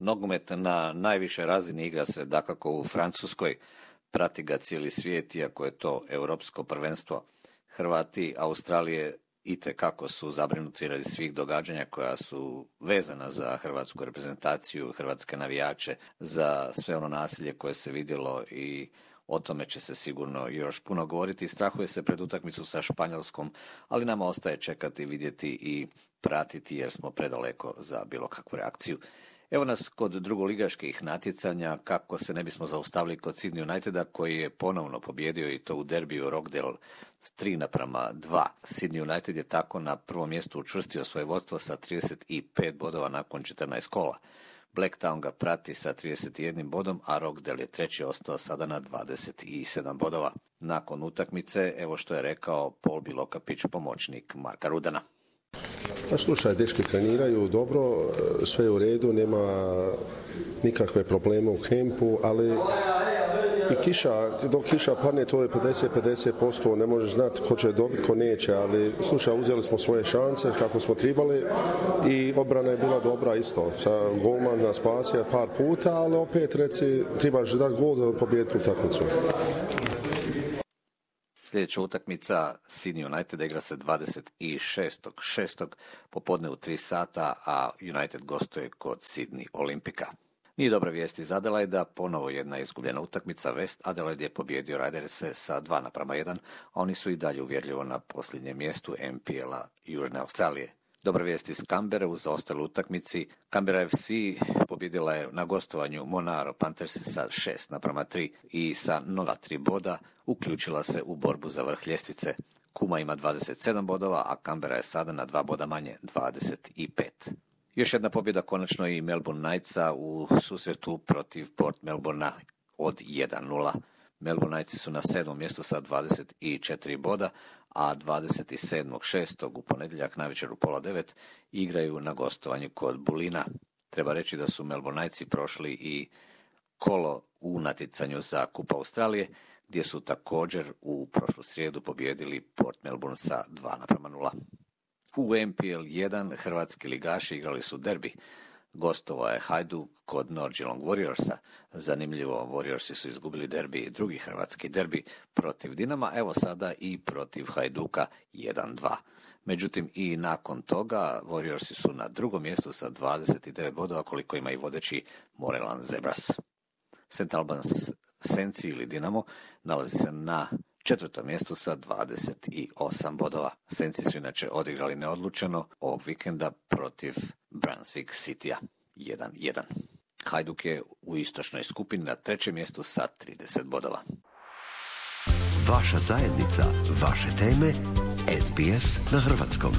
Nogomet na najvišoj razini igra se dakako u Francuskoj, prati ga cijeli svijet, iako je to europsko prvenstvo. Hrvati Australije itekako su zabrinuti radi svih događanja koja su vezana za hrvatsku reprezentaciju, hrvatske navijače, za sve ono nasilje koje se vidjelo i o tome će se sigurno još puno govoriti. Strahuje se pred utakmicu sa Španjolskom, ali nama ostaje čekati, vidjeti i pratiti jer smo predaleko za bilo kakvu reakciju. Evo nas kod drugoligaških natjecanja, kako se ne bismo zaustavili kod Sydney Uniteda koji je ponovno pobjedio i to u derbiju Rockdale 3:2. Sydney United je tako na prvom mjestu učvrstio svoje vodstvo sa 35 bodova nakon 14 kola. Blacktown ga prati sa 31 bodom, a Rockdale je treći, ostao sada na 27 bodova. Nakon utakmice, evo što je rekao Paul Bilokapić, pomoćnik Marka Rudana. Pa slušaj, dečki treniraju dobro, sve je u redu, nema nikakve probleme u kempu, ali i dok kiša padne, to je 50%, ne možeš znati ko će dobiti, ko neće, ali slušaj, uzeli smo svoje šanse kako smo tribali i obrana je bila dobra isto. Golman nas spasio par puta, ali opet trebaš dati gol da pobijeti utakmicu. Sljedeća utakmica Sydney United igra se 26.6. popodne u 3 sata, a United gostuje kod Sydney Olimpika. Nije dobra vijest iz Adelaida, ponovo jedna izgubljena utakmica. West Adelaide je pobjedio Raiderse sa 2:1, a oni su i dalje uvjerljivo na posljednjem mjestu MPL-a Južne Australije. Dobra vijest iz Canberre u zaostaloj utakmici. Canberra FC pobjedila je na gostovanju Monaro Panthersi sa 6:3 i sa 0,3 boda uključila se u borbu za vrh ljestvice. Kuma ima 27 bodova, a Canberra je sada na 2 boda manje, 25. Još jedna pobjeda konačno i Melbourne Knightsa u susretu protiv Port Melbournea od 1:0. Melbourne Knightsi su na 7. mjestu sa 24 boda, a 27.6. u ponedjeljak navečer u 8:30 igraju na gostovanju kod Bulina. Treba reći da su Melbourne Knightsi prošli i kolo u natjecanju za Kup Australije, gdje su također u prošlu srijedu pobjedili Port Melbourne sa 2:0. U MPL 1 hrvatski ligaši igrali su derbi. Gostovao je Hajduk kod North Geelong Warriorsa. Zanimljivo, Warriorsi su izgubili derbi, drugi hrvatski derbi protiv Dinama, evo sada i protiv Hajduka 1:2. Međutim, i nakon toga Warriorsi su na drugom mjestu sa 29 bodova, koliko ima i vodeći Moreland Zebras. St. Albans Senci ili Dinamo nalazi se na 4. mjestu sa 28 bodova. Senci su inače odigrali neodlučeno ovog vikenda protiv Brunswick Citya 1:1. Hajduk je u istočnoj skupini na 3. mjestu sa 30 bodova. Vaša zajednica, vaše teme, SBS na hrvatskom.